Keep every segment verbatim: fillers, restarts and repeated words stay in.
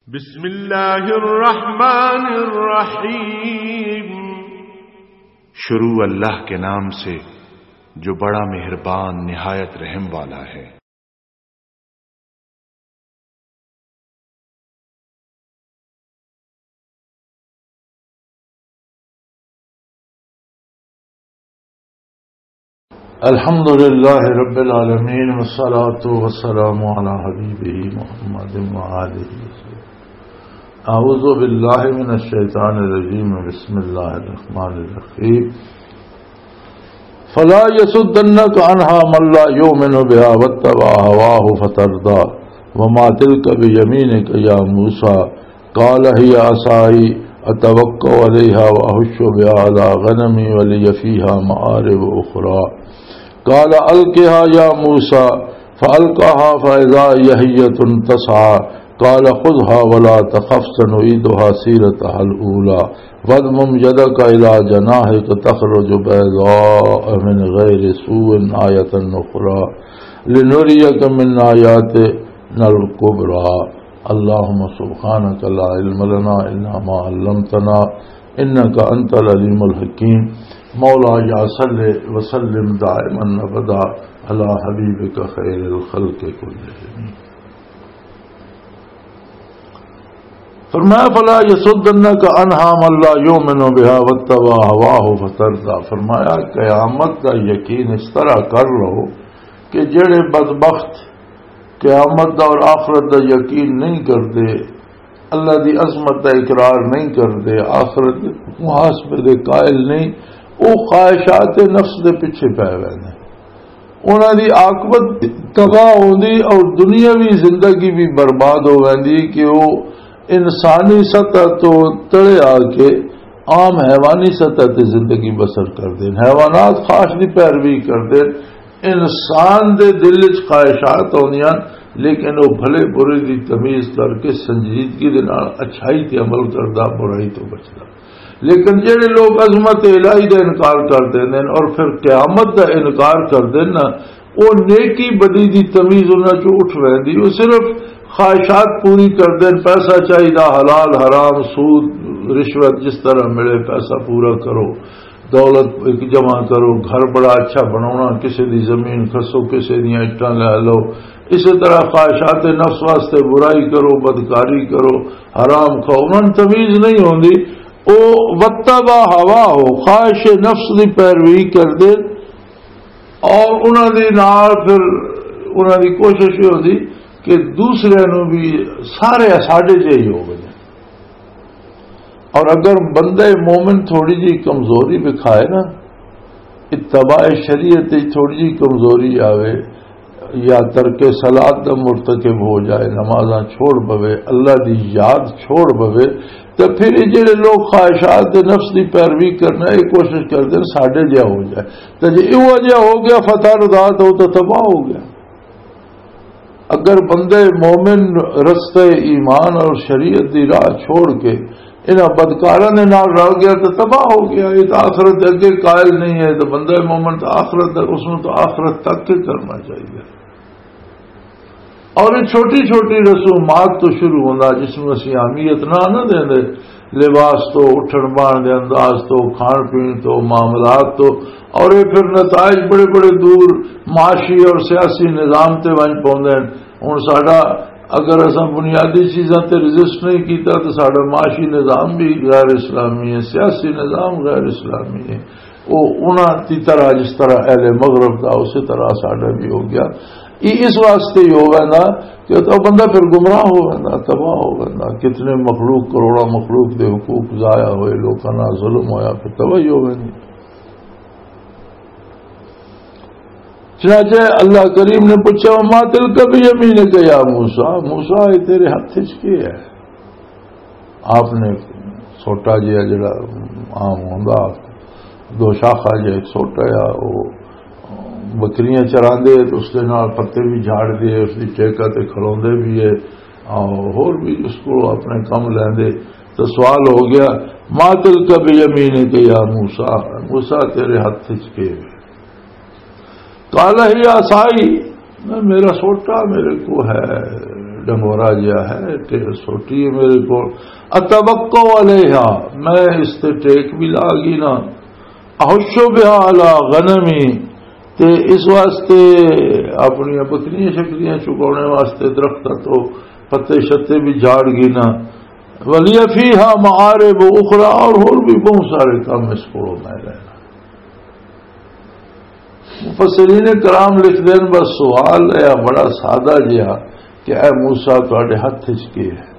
بسم اللہ الرحمن الرحیم۔ شروع اللہ کے نام سے جو بڑا مہربان نہایت رحم والا ہے۔ الحمد لله رب العالمين، والصلاة والسلام على حبيبه محمد وآله وسلم. أعوذ بالله من الشيطان الرجيم، بسم الله الرحمن الرحيم. فلا يصدنك عنها من لا يؤمن بها واتبع هواه فتردى. وما تلك بيمينك يا موسى؟ قال هي عصاي أتوكأ عليها وأهش بها على غنمي ولي فيها مآرب أخرى. قال ألقها يا موسى، فألقاها فإذا هي حية تسعى. قال خذها ولا تخف سنعيدها سيرتها الأولى. واضمم يدك إلى جناحك تخرج بيضاء من غير سوء آية أخرى لنريك من آياتنا الكبرى. اللهم سبحانك لا علم لنا إلا ما علمتنا إنك أنت العليم الحكيم. مولاي صل وسلم دائما أبدا على حبيبك خير الخلق كلهم. فرمایا، فلا يصدنك عنها من لا يؤمن بها واتبع هواه فتردى. فرمایا، قیامت کا یقین اس طرح کر لو کہ جڑے بدبخت قیامت دا اور آخرت دا یقین نہیں کردے، اللہ دی عظمت دا اقرار نہیں کردے، آخرت دے محاسبے دے قائل نہیں، او خواہشات نفس دے پیچھے پے ویندے۔ انہاں دی عاقبت تباہ ہوندی اور دنیاوی زندگی بھی برباد ہو ویندی کہ او انسانی سطح تو تلے آ کے عام حیوانی سطح تے زندگی بسر کردے۔ حیوانات خواہش دی پیروی کردے، انسان دے دل وچ خواہشات ہوندیاں، لیکن وہ بھلے برے دی تمیز کر کے سنجیدگی دے نال اچھائی تے عمل کردا، برائی تو بچدا۔ لیکن جڑے لوگ عظمت الہی دا انکار کر دیندے نے اور پھر قیامت دا انکار کر دیندے نا، وہ نیکی بدی دی تمیز انہاں چوں اٹھ ویندی۔ وہ صرف خواہشات پوری کر دین، پیسہ چاہیدا، حلال حرام، سود، رشوت، جس طرح ملے پیسہ پورا کرو، دولت ایک جمع کرو، گھر بڑا اچھا بناونا، کسے دی زمین کھسو، کسے دیاں اٹاں لے لو۔ اسی طرح خواہشات نفس واسطے برائی کرو، بدکاری کرو، حرام کھاؤ، انہاں نوں تمیز نہیں ہوندی۔ او وتبع ہوا ہو، خواہش نفس دی پیروی کر دے، اور انہاں دے نال پھر انہاں دی کوشش یہ ہوندی کہ دوسرے نوں بھی سارے ساڈے جہے ہی ہو گئے۔ اور اگر بندہ مومن تھوڑی جی کمزوری دکھائے نا، اتباع شریعت وچ تھوڑی جی کمزوری آوے، یا ترک صلات دا مرتکب ہو جائے، نمازاں چھوڑ پوے، اللہ دی یاد چھوڑ پوے، تے پھر یہ جڑے لوگ خواہشات دے نفس دی پیروی کرنا، یہ کوشش کردے نے ساڈے جہا ہو جائے۔ تے جے ایہو جہا ہو گیا، فتح رضا تو، تو تباہ ہو گیا۔ اگر بندے مومن رستے ایمان اور شریعت دی راہ چھوڑ کے انہاں بدکاراں دے نال رل گیا تو تباہ ہو گیا۔ یہ تو آخرت دے اگے قائل نہیں ہے، تو بندہ مومن تو آخرت تک، اس نوں تو آخرت تک کے کرنا چاہیے۔ اور یہ چھوٹی چھوٹی رسومات تو شروع ہوندا، جس نوں اسی اہمیت نہ نہ دیندے، لباس تو، اٹھن بان دے انداز تو، کھان پین تو، معاملات تو، اور یہ پھر نتائج بڑے بڑے دور معاشی اور سیاسی نظام تے ونج پوندے ہیں۔ ہن ساڈا اگر اساں بنیادی چیزاں تے رجسٹ نہیں کیتا تو ساڈا معاشی نظام بھی غیر اسلامی ہے، سیاسی نظام غیر اسلامی ہے۔ وہ انہاں دی طرح، جس طرح اہل مغرب دا، اسی طرح ساڈا بھی ہو گیا۔ یہ اس واسطے ہی ہو ویندا کہ تو بندہ پھر گمراہ ہو ویندا، تباہ ہو ویندا۔ کتنے مخلوق، کروڑاں مخلوق دے حقوق ضائع ہوئے، لوکاں نال ظلم ہویا، پھر تباہی ہو ویندی۔ چنانچہ اللہ کریم نے پوچھا، "وما تلک بیمینک یا موسیٰ؟" موسیٰ، یہ تیرے ہاتھ وچ کی ہے؟ آپ نے سوٹا جہا جڑا عام ہوندا، دو شاخا جہا ایک سوٹا آ، وہ بکریاں چراندے تے اس دے نال پتے بھی جھاڑ دے، اس دی ٹیکا تے کھلوندے بھی ہے، اور ہور بھی اس کو اپنے کم لیندے۔ تو سوال ہو گیا، "ما تلک بیمینک یا موسیٰ؟" موسیٰ، تیرے ہاتھ وچ کے ہے؟ قال هي عصاي، میرا سوٹا میرے کو ہے، ڈنگورا جہا ہے، تے سوٹی ہے میرے کول۔ اتوقع علیہا، میں اس تے ٹیک بھی لا گئی نا۔ احش بہا علی غنمی، تے اس واسطے اپنی بکریاں شکریاں چکانے واسطے درخت تو پتے شتے بھی جھاڑ گئی نا۔ ولی فیہا معارب اخری، اور ہور بھی بہت سارے کام اس کو میں لینا۔ مفسرین کرام لکھ دین، بس سوال ہے بڑا سادہ جہا کہ اے موسیٰ، تہاڈے ہتھ وچ کی ہے؟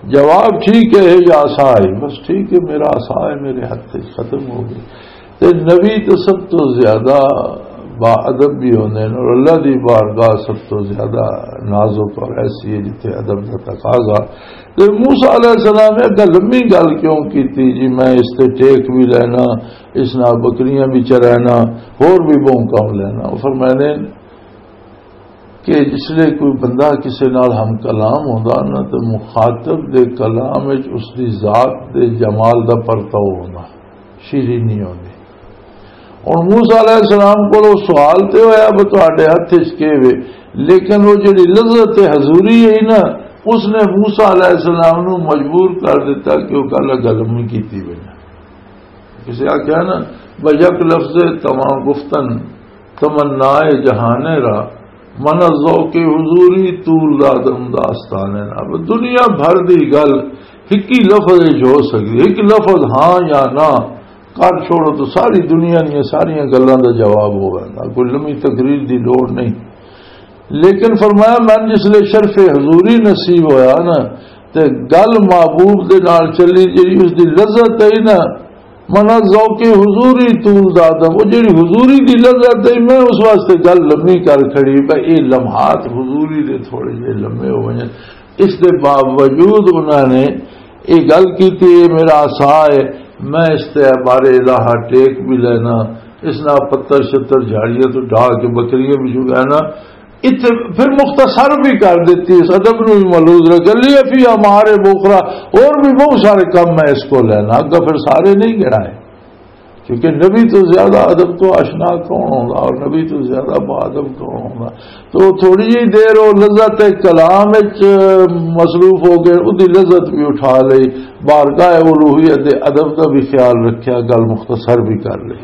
جواب ٹھیک ہے، یا عصا ہے، بس ٹھیک ہے، میرا عصا ہے، میرے ہتھ وچ ختم ہو گئی۔ تے نبی تو سب تو زیادہ با ادب بھی ہوندے نے، اور اللہ دی بارگاہ سب تو زیادہ نازک اور ایسی ہے جتھے ادب دا تقاضا۔ تے موسیٰ علیہ السلام نے اگا لمبی گل کیوں کیتی جی، میں اس تے ٹیک بھی لینا، اس نال بکریاں بھی چرانا، ہور بھی بہوں کم لینا۔ وہ فرماندے کہ جس لئے کوئی بندہ کسے نال ہم کلام ہوندا نا، تے مخاطب دے کلام وچ اس دی ذات دے جمال دا پرتاؤ ہوندا، شیرینی ہوندی۔ ہن موسیٰ علیہ السلام کول او سوال تے ہویا، "بھئی تہاڈے ہتھ وچ کی وے؟" لیکن او جڑی لذت حضوری ہے نا، اس نے موسیٰ علیہ السلام نو مجبور کر دیتا کہ او گل گل نہیں کیتی بنا۔ کسے آکھیا نا، "بھئی یک لفظ تمام گفتن تمنا جہان را، من از ذوق حضوری طول دادم داستان را۔" اب دنیا بھر دی گل ہکی لفظ وچ ہو سکدی، ایک لفظ ہاں یا نہ کر چھوڑو تو ساری دنیا دیاں ساریاں گلاں دا جواب ہو ویندا، کوئی لمبی تقریر دی لوڑ نہیں۔ لیکن فرمایا، میں جس لے شرف حضوری نصیب ہویا نا، تے گل محبوب دے نال چلی، جڑی اس دی لذت ہے نا، من ذوق حضوری طول دادم، وہ جڑی حضوری دی لذت ہے، میں اس واسطے گل لمبی کر کھڑی، بھئی اے لمحات حضوری دے تھوڑے جے لمبے ہو ونجن۔ اس دے باوجود انہاں نے یہ گل کی، "یہ میرا عصا ہے، میں اس تے بارے الہ ٹیک بھی لینا، اس نال پتر شتر جھاڑیاں تو ڈھا کے بکریاں بھی چگانا۔" اتنے پھر مختصر بھی کر دیتی، اس ادب نو بھی ملحوظ رکھ لیا، فی ہمارے بوخرا، اور بھی بہت سارے کام میں اس کو لینا، اگا پھر سارے نہیں گنا ہے۔ کیونکہ نبی تو زیادہ ادب تو آشنا کون ہوگا اور نبی تو زیادہ با ادب کون ہوگا؟ تو تھوڑی جی دیر وہ لذت کلام وچ مصروف ہو گئے، اودی لذت بھی اٹھا لئی، بارگاہ الوہیت دے ادب دا بھی خیال رکھیا، گل مختصر بھی کر لئی۔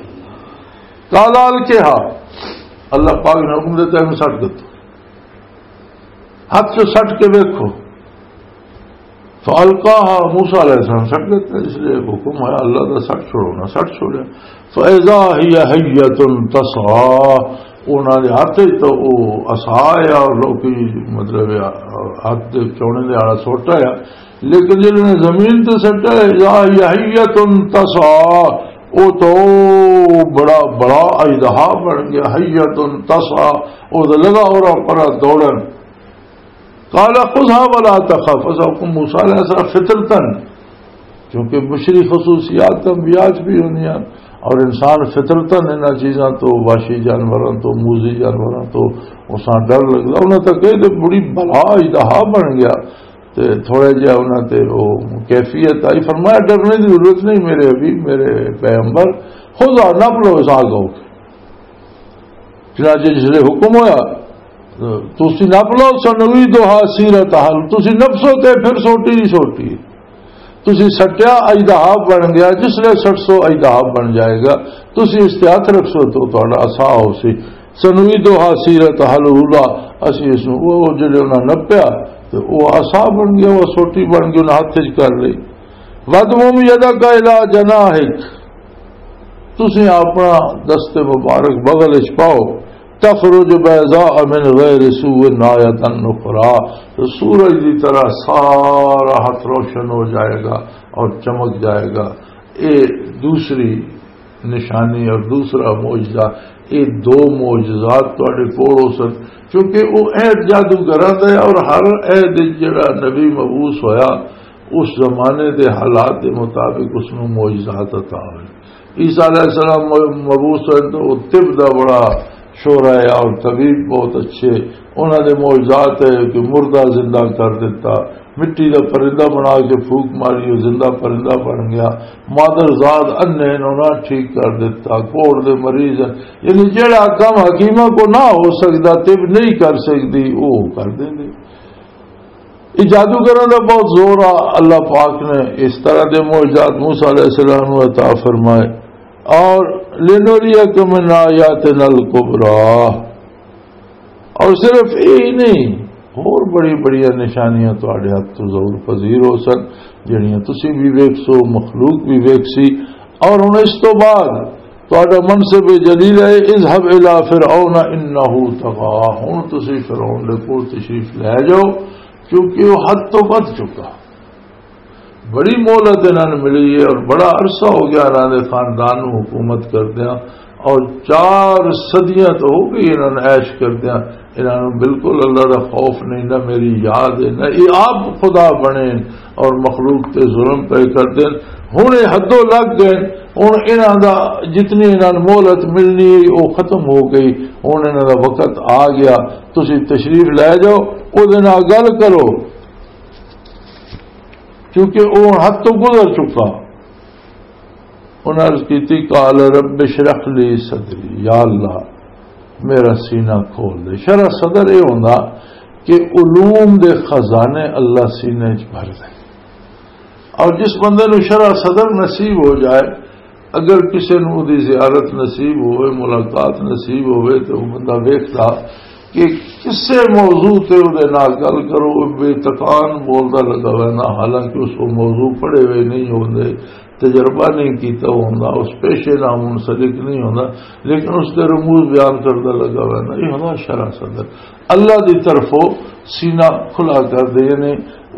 قال القها، اللہ پاک نے حکم دیتا ہے، میں سٹ دیتا، ہاتھ سے سٹ کے دیکھو۔ فالقاها، موسیٰ علیہ السلام سٹ دیتا، اس لیے حکم ہے اللہ دا، سٹ چھوڑو نا، سٹ چھوڑیا۔ فاذا هي حية تسعى، انہاں دے ہاتھ وچ تو او عصا آیا، اور لوکی مطلب ہاتھ دے چونے دے آڑا سوٹا آیا، لیکن جنہوں نے زمین تے سٹا، اذا هي حية تسعى، او تو بڑا بڑا اژدہا بن گیا، حية تسعى، او تے لگا اور پر دوڑن۔ قال خذها ولا تخف، اس حکم موسیٰ علیہ السلام فطرتاً، کیونکہ بشری خصوصیات انبیاء چ بھی ہوندیاں، اور انسان فطرتاً انہاں چیزاں تو، وحشی جانوراں تو، موذی جانوراں تو اساں ڈر لگدا۔ انہاں تک کہے تے بڑی بلا اژدہا بن گیا، تے تھوڑے جہا انہاں تے وہ کیفیت آئی۔ فرمایا، "ڈرنے کی ضرورت نہیں میرے حبیب، میرے پیغمبر، خذها، نپ لو اس آگ کو۔" چنانچہ جس لئے حکم ہویا، تسی نپ لو، سنوی دوہا سیرت حل، تسی نفسو تے پھر سوٹی نہیں سوٹی۔ تسی سٹیا، اژدہا بن گیا، جس لئے سٹ سو اژدہا بن جائے گا، تسی اس تے ہاتھ رکھ سو تو تہاڈا عصا ہو سی۔ سنوی دوہا سیرت حل اولا، اسی اس نوں، وہ جڑے انہاں نپیا، تے وہ عصا بن گیا، وہ سوٹی بن گئی، انہاں ہاتھ وچ کر لئی۔ وَاضْمُمْ يَدَكَ إِلَىٰ جَنَاحِكَ، تسیں اپنا دست مبارک بغل وچ پاؤ، تخرج بيضاء من غير سوء آية أخرى، تو سورج دی طرح سارا ہاتھ روشن ہو جائے گا اور چمک جائے گا۔ اے دوسری نشانی اور دوسرا معجزہ، اے دو معجزات تواڈے کول ہو سن، کیونکہ وہ عہد جادوگراں دا ہے اور ہر عہد وچ جڑا نبی مبعوث ہویا، اس زمانے دے حالات دے مطابق اس نوں معجزات عطا ہوئے۔ عیسیٰ علیہ السلام مبعوث ہوئے تو وہ طب دا بڑا شعرا ہے اور طبیب بہت اچھے۔ انہاں دے معجزات ہے کہ مردہ زندہ کر دیتا، مٹی دا پرندہ بنا کے پھوک ماری، وہ زندہ پرندہ بن گیا۔ مادر زاد اندھے نے، انہاں ٹھیک کر دیتا، کوڑ دے مریض ہیں۔ یعنی جڑا کم حکیمہ کو نہ ہو سکدا، طب نہیں کر سکدی، وہ کر دیندے۔ یہ جادوگراں دا بہت زور آ۔ اللہ پاک نے اس طرح دے معجزات موسیٰ علیہ السلام نوں عطا فرمائے۔ اور لِنُرِيَكَ مِنْ آيَاتِنَا الْكُبْرَى۔ اور صرف یہی نہیں، اور بڑی بڑی نشانیاں تہاڈے ہاتھ تو ظہور پذیر ہو سن، جڑیاں تسی بھی ویکھ سو، مخلوق بھی ویکھ سی۔ اور ہن اس تو بعد تہاڈا منصب جلیل ہے، اذهب إلى فرعون إنه طغى، ہن تسی فرعون دے کول تشریف لے جاؤ، کیونکہ وہ حد تو ودھ چکا۔ بڑی مہلت انہاں نوں ملی ہے اور بڑا عرصہ ہو گیا انہاں دے خاندان نوں حکومت کردیاں، اور چار صدیاں تو ہو گئی انہاں نوں عیش کردیاں۔ انہاں نوں بالکل اللہ دا خوف نہیں، نہ میری یاد ہے، نہ یہ آپ خدا بنے اور مخلوق تے ظلم پہ کردے۔ ہن یہ حدوں لگ گئے، ہن انہاں دا جتنی انہاں نوں مہلت ملنی ہے، وہ ختم ہو گئی۔ ہن انہاں دا وقت آ گیا، تسی تشریف لے جاؤ، او دے نال گل کرو، کیونکہ وہ حد تو گزر چکا۔ انہاں عرض کیتی، "قال رب اشرح لي صدري"، یا اللہ، میرا سینہ کھول دے۔ شرح صدر یہ ہوندا کہ علوم دے خزانے اللہ سینے وچ بھر دے۔ اور جس بندے نوں شرح صدر نصیب ہو جائے، اگر کسے نوں دی زیارت نصیب ہوئے، ملاقات نصیب ہوئے، تو وہ بندہ ویکھدا کہ کسے موضوع تے اودے نال گل کرو، بے تکان بولدا لگا ویندا، حالانکہ اس کو موضوع پڑھے ہوئے نہیں ہوندے، تجربہ نہیں کیتا ہوندا، اس پیشے نال منسلک نہیں ہوندا، لیکن اس دے رموز بیان کردا لگا ویندا۔ یہ ہوندا شرح صدر۔ اللہ دی طرفوں سینہ کھلا کر دے، یعنی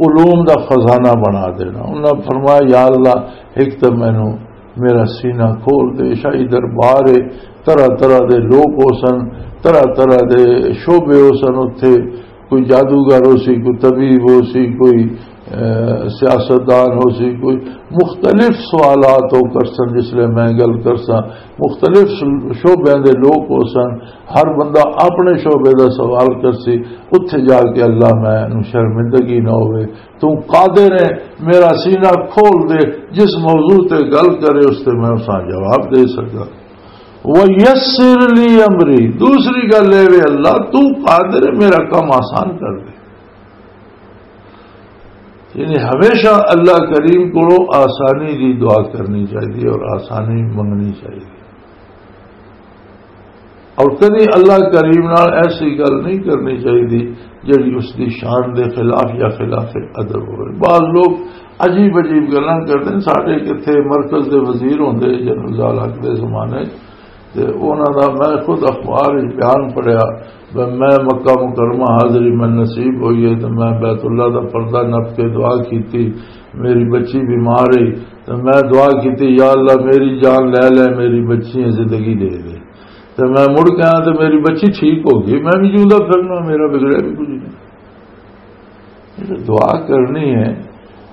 علوم دا خزانہ بنا دینا۔ انہاں فرمایا، "یا اللہ، ایک تو مینوں میرا سینہ کھول دے، شاہی دربار ہے، طرح طرح دے لوگ ہو سن، طرح طرح دے شعبے ہو سن اتھے، کوئی جادوگر ہو سی، کوئی طبیب ہو سی، کوئی، اے، سیاستدان ہو سی، کوئی مختلف سوالات ہو کر سن، جس لئے میں گل کر ساں، مختلف شعبیاں دے لوگ ہو سن، ہر بندہ اپنے شعبے دا سوال کر سی، اتھے جا کے اللہ میں نوں شرمندگی نہ ہوئے۔" تو قادر ہے، میرا سینہ کھول دے، جس موضوع تے گل کرے اس تے میں اساں جواب دے سکاں۔ وَيَسِّرْ لِي أَمْرِي، دوسری گل اے وے اللہ، تو قادر ہے، میرا کم آسان کر دے۔ یعنی ہمیشہ اللہ کریم کو آسانی دی دعا کرنی چاہیے اور آسانی منگنی چاہیے۔ اور کدی اللہ کریم نال ایسی گل نہیں کرنی چاہیے جڑی اس دی شان دے خلاف یا خلاف ادب ہوئے۔ بعض لوگ عجیب عجیب گلاں کردے نے۔ ساڈے کتھے مرکز دے وزیر ہوندے جنرل ضیاء الحق دے زمانے، تے انہاں دا میں خود اخبار وچ بیان پڑھیا، میں مکہ مکرمہ حاضری میں نصیب ہوئی ہے تے میں بیت اللہ دا پردہ نپ کے دعا کیتی، میری بچی بیمار ہے تے میں دعا کیتی، "یا اللہ، میری جان لے لے، میری بچی زندگی دے دے۔" تے میں مڑ کے آیا تے میری بچی ٹھیک ہو گئی، میں بھی جیوندا پھرنا، میرا بگڑیا بھی کچھ نہیں۔ یہ تو دعا کرنی ہے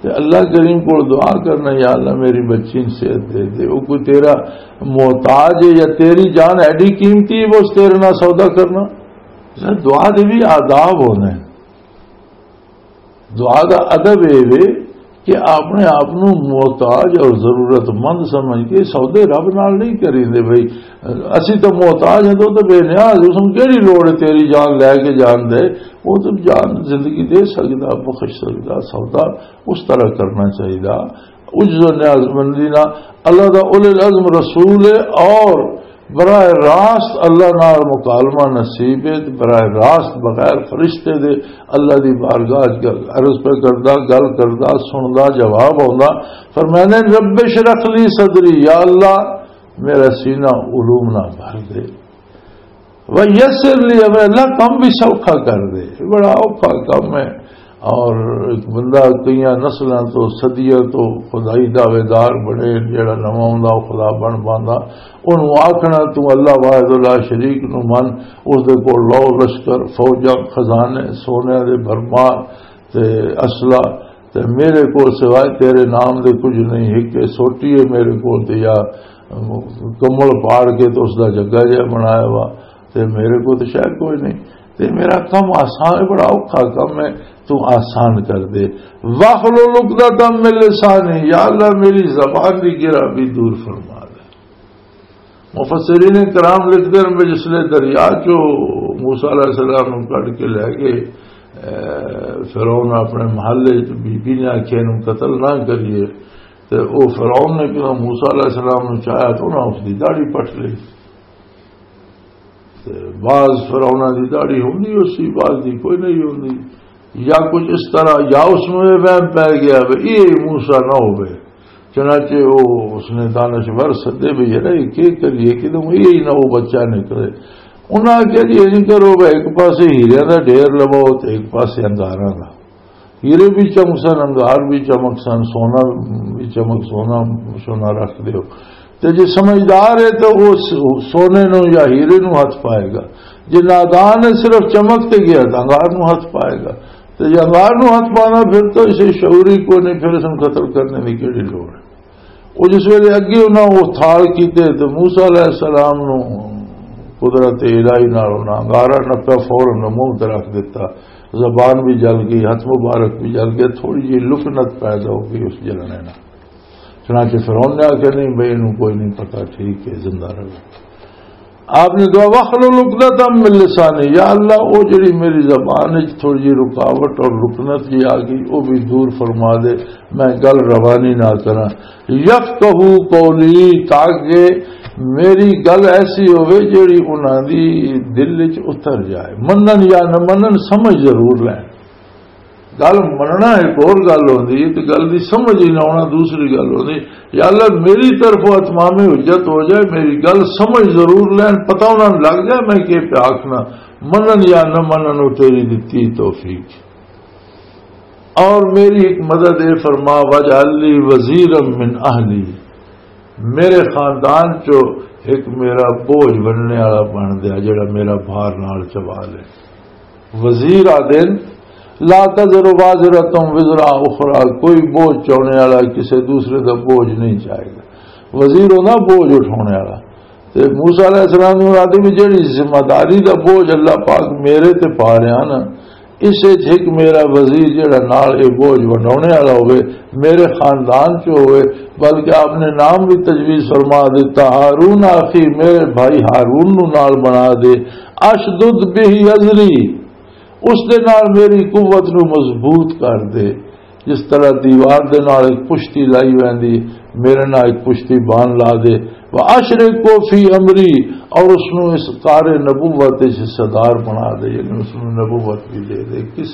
تے اللہ کریم کو دعا کرنا، "یا اللہ، میری بچی نوں صحت دے دے۔" وہ کوئی تیرا محتاج ہے یا تیری جان ایڈی قیمتی ہے، وہ تیرے نال سودا کرنا؟ دعا دے بھی آداب ہوندے ہیں۔ دعا دا ادب اے وے کہ اپنے آپ نو محتاج اور ضرورت مند سمجھ کے سودے رب نال نہیں کریندے۔ بھئی، اسی تو محتاج ہیں، تو تو بے نیاز، اس نوں کیڑی لوڑ ہے تیری جان لے کے جان دے؟ وہ تو جان زندگی دے سکدا، بخش سکدا۔ سودا اس طرح کرنا چاہیدا، عجز و نیاز مندی نال۔ اللہ دا اولو العزم رسول ہے اور براہ راست اللہ نال مکالمہ نصیب ہے، براہ راست بغیر فرشتے دے اللہ دی بارگاہ وچ عرض پہ کردا، گل کردا، سندا، جواب آوندا۔ فرمایا نے، "رب اشرح لی صدری"، یا اللہ، میرا سینہ علوم نال بھر دے۔ "ویسر لی"، ہمیں اللہ کم بھی سوکھا کر دے، بڑا اوکھا کم ہے۔ اور ایک بندہ کئی نسلاں تو، صدیاں تو خدائی دعوے دار بنے، جیڑا نواں ہوندا، او خدا بن پاندا۔ اونوں آکھنا، "تو اللہ واحد لا شریک نو من"، اس دے کول لو لشکر، فوجاں، خزانے، سونے دے بھرمار تے اسلحہ، تے میرے کول سوائے تیرے نام دے کچھ نہیں۔ ایک سوٹی ہے میرے کول، تے یا کمل پاڑ کے تے اس دا جگہ جہا بنایا وا، تے میرے کول تے شاید کوئی نہیں۔ تے میرا کم آسان ہے، بڑا اوکھا کم ہے، تو آسان کر دے۔ "واحلل عقدۃ من لسانی"، یا اللہ، میری زبان دی گرا بھی دور فرما دے۔ مفسرین کرام لکھتے ہیں، جس لئے دریا چو موسیٰ علیہ السلام نوں کڈ کے لے گئے، اے، فرعون اپنے محلے وچ بی بی نے آکھیا، "اینوں قتل نہ کریے۔" تے او فرعون نے کہا، موسیٰ علیہ السلام نوں چاہیا تے انہاں اس دی داڑھی پٹ لئی۔ تے بعض فرعوناں دی داڑھی ہوندی، اس دی بعض دی کوئی نہیں ہوندی، یا کچھ اس طرح، یا اس نوں یہ وہم پی گیا بھی یہ موسیٰ نہ ہوئے۔ چنانچہ وہ، اس نے دانشور سدے بھی، "یار، یہ کی کریے کہ تم یہی نہ وہ بچہ نکلے۔" انہاں آکھیا، "جی، انج کرو، ایک پاسے ہیرے دا ڈھیر لواؤ تے ایک پاسے انگاراں دا۔" ہیرے بھی چمک سن، انگار بھی چمک سن، سونا بھی چمک، سونا، سونا رکھ دیو۔ تے جے سمجھدار ہے تے او س-، سونے نو یا ہیرے نو ہاتھ پائے گا۔ جے نادان ہے، صرف چمک تے گیا، تے انگار نو ہاتھ پائے گا۔ تے جے انگار نو ہاتھ پانا، پھر تو اسے شعور ہی کوئی نہیں، پھر اس نوں قتل کرنے دی کیڑی لوڑ ہے؟ او جس ویلے اگے انہاں او تھال کیتے تے موسیٰ علیہ السلام نوں قدرت الہی نال انہاں انگارا نپیا، فوراً منہ تے رکھ دتا، زبان بھی جل گئی، ہاتھ مبارک بھی جل گئے، تھوڑی جی لکنت پیدا ہو گئی اس جلنے نال۔ چنانچہ فرعون نے آکھیا، "نہیں بھئی، اینوں کوئی نہیں پتا، ٹھیک ہے، زندہ رہو۔" آپ نے دعا، "واحلل عقدۃ من لسانی"، یا اللہ، او جڑی میری زبان وچ تھوڑی جی رکاوٹ اور لکنت جی آ گئی، او بھی دور فرما دے، میں گل روانی نہ کراں۔ یفقہوا قولی، تاکہ میری گل ایسی ہوے جڑی انہاں دی دل وچ اتر جائے، منن یا نہ منن، سمجھ ضرور لین۔ گل مننا ایک اور گل ہوندی ہے، تے گل دی سمجھ ہی نہ ہونا دوسری گل ہوندی۔ یا اللہ، میری طرفوں اتمام حجت ہو جائے، میری گل سمجھ ضرور لین، پتہ انہاں نوں لگ جائے میں کی پیا آکھنا، منن یا نہ منن، وہ تیری دتی توفیق۔ اور میری ایک مدد اے فرما، واجعل لی وزیرا من اہلی، میرے خاندان چو ایک میرا بوجھ بننے والا بن دیا، جڑا میرا بھار نال چوا لے۔ وزیر آدن، لا تزر وازرۃ وزر اخری، کوئی بوجھ چاہنے والا کسی دوسرے دا بوجھ نہیں چاہے گا۔ وزیر ہونا بوجھ اٹھانے والا۔ تے موسیٰ علیہ السلام نے مراد بھی جڑی ذمہ داری دا بوجھ اللہ پاک میرے تے پا رہا نا، اس وچ ایک میرا وزیر جڑا نال اے بوجھ ونڈاونے والا ہوے، میرے خاندان چ ہوے، بلکہ آپ نے نام بھی تجویز فرما دیتا، ہارون اخی، میرے بھائی ہارون نو نال بنا دے، اشدد بہ ازری، اس دے نال میری قوت نو مضبوط کر دے، جس طرح دیوار دے نال ایک پشتی لائی ویندی، میرے نال ایک پشتی بان لا دے۔ وَأَشْرِكْهُ فِي أَمْرِي، اور اس نو اس کار نبوت وچ حصہ دار بنا دے، یعنی اس نو نبوت بھی دے دے۔ کس،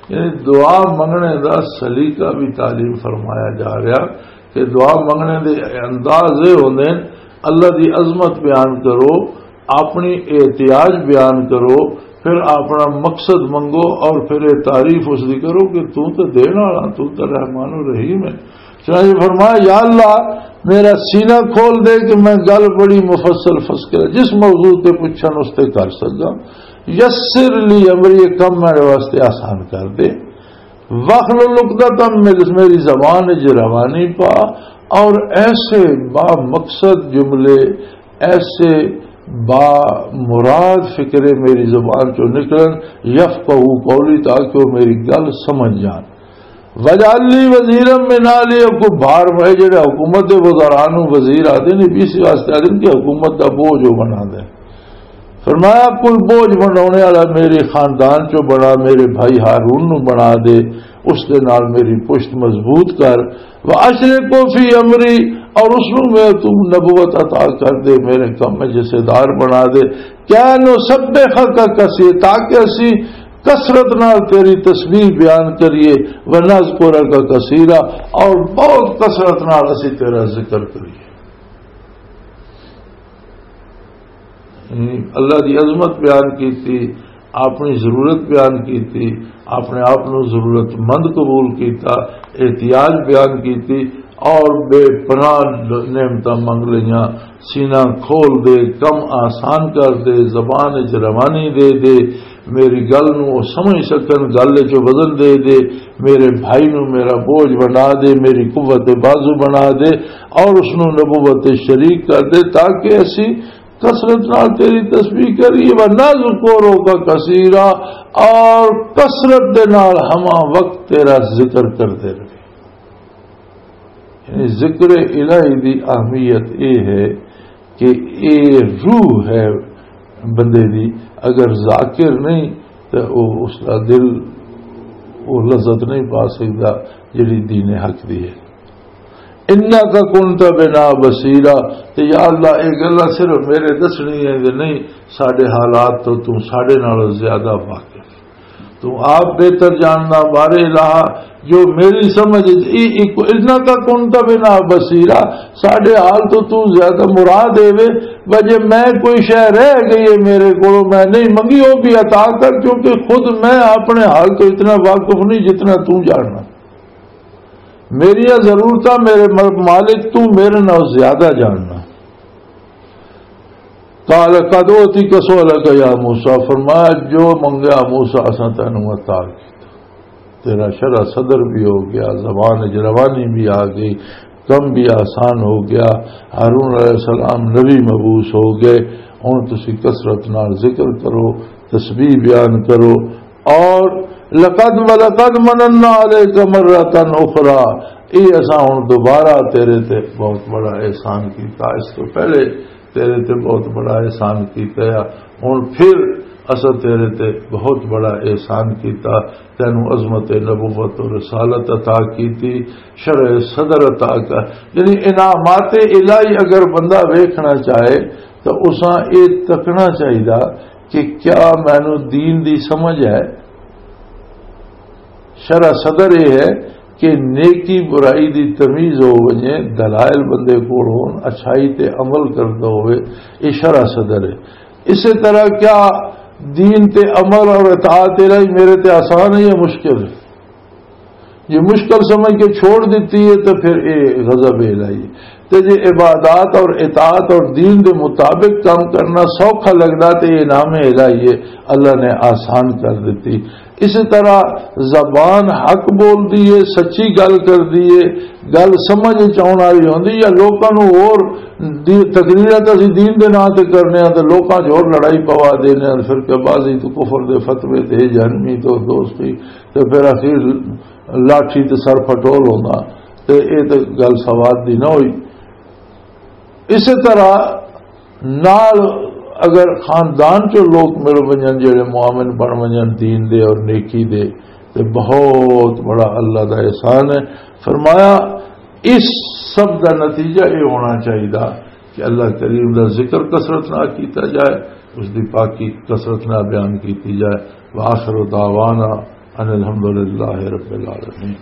یعنی دعا منگنے دا سلیقہ بھی تعلیم فرمایا جا رہا کہ دعا منگنے دے انداز یہ ہوندے ہیں، اللہ دی عظمت بیان کرو، اپنی احتیاج بیان کرو، پھر اپنا مقصد منگو اور پھر یہ تعریف اس دی کرو کہ تو تے دین والا، تو تے رحمان الرحیم ہے۔ چنانچہ فرمایا، یا اللہ، میرا سینہ کھول دے کہ میں گل بڑی مفصل فصل کرے، جس موضوع تے پوچھن اس تے کر سکاں۔ یسر لی امری، یہ کم میرے واسطے آسان کر دے۔ واحلل عقدۃ من، میری زبان وچ روانی پا، اور ایسے با مقصد جملے، ایسے با مراد فکرے میری زبان چوں نکلن، یفقہوا قولی، تاکہ وہ میری گل سمجھ جان۔ واجعل لی وزیرا من اہلی، کو بھار پائے جڑے حکومت دے وزراء نوں وزیر آتے نے، بھی اسی واسطے آتے نے کہ حکومت دا بوجھ وہ بنا دے۔ فرمایا، کوئی بوجھ بنانے والا میرے خاندان چوں بنا، میرے بھائی ہارون نو بنا دے، اس دے نال میری پشت مضبوط کر۔ وَأَشْرِكْهُ فِي أَمْرِي، اور اس نو میں تو نبوت عطا کر دے، میرے کم میں حصے دار بنا دے۔ کَيْ نُسَبِّحَكَ كَثِيرًا، تاکہ اسی کثرت نال تیری تسبیح بیان کریے، وَنَذْكُرَكَ كَثِيرًا، اور بہت کثرت نال اسی تیرا ذکر کریے۔ یعنی اللہ دی عظمت بیان کیتی، اپنی ضرورت بیان کیتی، اپنے آپ نو ضرورت مند قبول کیتا، احتیاج بیان کیتی، اور بے پناہ نعمتاں منگ لئیاں۔ سینہ کھول دے، کم آسان کر دے، زبان وچ روانی دے دے، میری گل نو او سمجھ سکن، گل وچ وزن دے دے، میرے بھائی نو میرا بوجھ بنا دے، میری قوت بازو بنا دے، اور اس نو نبوت شریک کر دے، تاکہ اسی کثرت نال تیری تسبیح کریے، وَنَذْكُرَكَ كَثِيرًا، اور کثرت دے نال ہمہ وقت تیرا ذکر کرتے رہے۔ یعنی ذکر الہی دی اہمیت اے ہے کہ اے روح ہے بندے دی، اگر ذاکر نہیں تو او، اس دا دل وہ لذت نہیں پا سکتا جڑی دین حق دی ہے۔ انک کنت بنا بصیرا، تے یا اللہ، یہ گلاں صرف میرے دسنی ہے کہ نہیں، ساڈے حالات تو تو ساڈے نالوں زیادہ واقف، تو آپ بہتر جاننا۔ بارے الہ، جو میری سمجھ وچ ای-، ای-، انک کنت بنا بصیرا، ساڈے حال تو تو زیادہ مراد اے وے، وجہ میں کوئی شے رہ گئی ہے میرے کولوں، میں نہیں منگی، وہ بھی عطا کر، کیونکہ خود میں اپنے حال تو اتنا واقف نہیں جتنا تو جاننا۔ میری ضرورتاں میرے مل-، مالک تو میرے نال زیادہ جاننا۔ قال قد اوتیت سؤلک یا موسیٰ، فرمایا جو منگیا موسیٰ اساں تینوں عطا کیتا۔ تیرا شرح صدر بھی ہو گیا، زبان وچ روانی بھی آ گئی، کم بھی آسان ہو گیا۔ ہارون علیہ السلام نبی مبعوث ہو گئے۔ ہن تسی کثرت نال ذکر کرو، تسبیح بیان کرو، اور لقد ولقد مننا علیک مرۃ اخری، یہ اساں ہن دوبارہ تیرے تے بہت بڑا احسان کیتا، اس تو پہلے تیرے تے بہت بڑا احسان کیتا ہے۔ ہن پھر اساں تیرے تے بہت بڑا احسان کیتا، تینوں عظمت نبوت و رسالت عطا کیتی، شرح صدر عطا کر، یعنی انعامات الہی اگر بندہ ویکھنا چاہے تو اساں اے تکنا چاہیدا کہ کیا مینوں دین دی سمجھ ہے؟ شرح صدر یہ ہے کہ نیکی برائی دی تمیز ہو ونجے، دلائل بندے کول ہون، اچھائی تے عمل کردا ہوئے، یہ شرح صدر ہے۔ اسی طرح کیا دین تے عمل اور اطاعت الہی میرے تے آسان ہے یا مشکل ہے؟ یہ مشکل سمجھ کے چھوڑ دیتی ہے تو پھر یہ غضب الہی ہے۔ تے جے عبادات اور اطاعت اور دین دے مطابق کام کرنا سوکھا لگدا تے یہ انعام الہی ہے، اللہ نے آسان کر دیتی۔ اسی طرح زبان حق بول دی ہے، سچی گل کر دی ہے، گل سمجھ وچ آؤن والی ہوندی یا لوکاں نوں ہور دی-، تقریراں تے اسی دین دے نام تے کرنے آں تے لوکاں 'چ ہور لڑائی پوا دینے آں، فرقہ بازی تو کفر دے فتوے تے جہنمی تو دوستی تے پھر اخیر لاٹھی تے سر پھٹول ہوندا، تے اے تے گل سواد دی نہ ہوئی۔ اسی طرح نال اگر خاندان چوں لوگ مل ونجن جڑے مومن بن ونجن دین دے اور نیکی دے، تے بہت بڑا اللہ دا احسان ہے۔ فرمایا اس سب دا نتیجہ یہ ہونا چاہیے کہ اللہ کریم دا ذکر کثرت نہ کیتا جائے، اس دی پاکی کثرت نہ بیان کیتی جائے۔ وآخر دعوانا ان الحمدللہ رب العالمین۔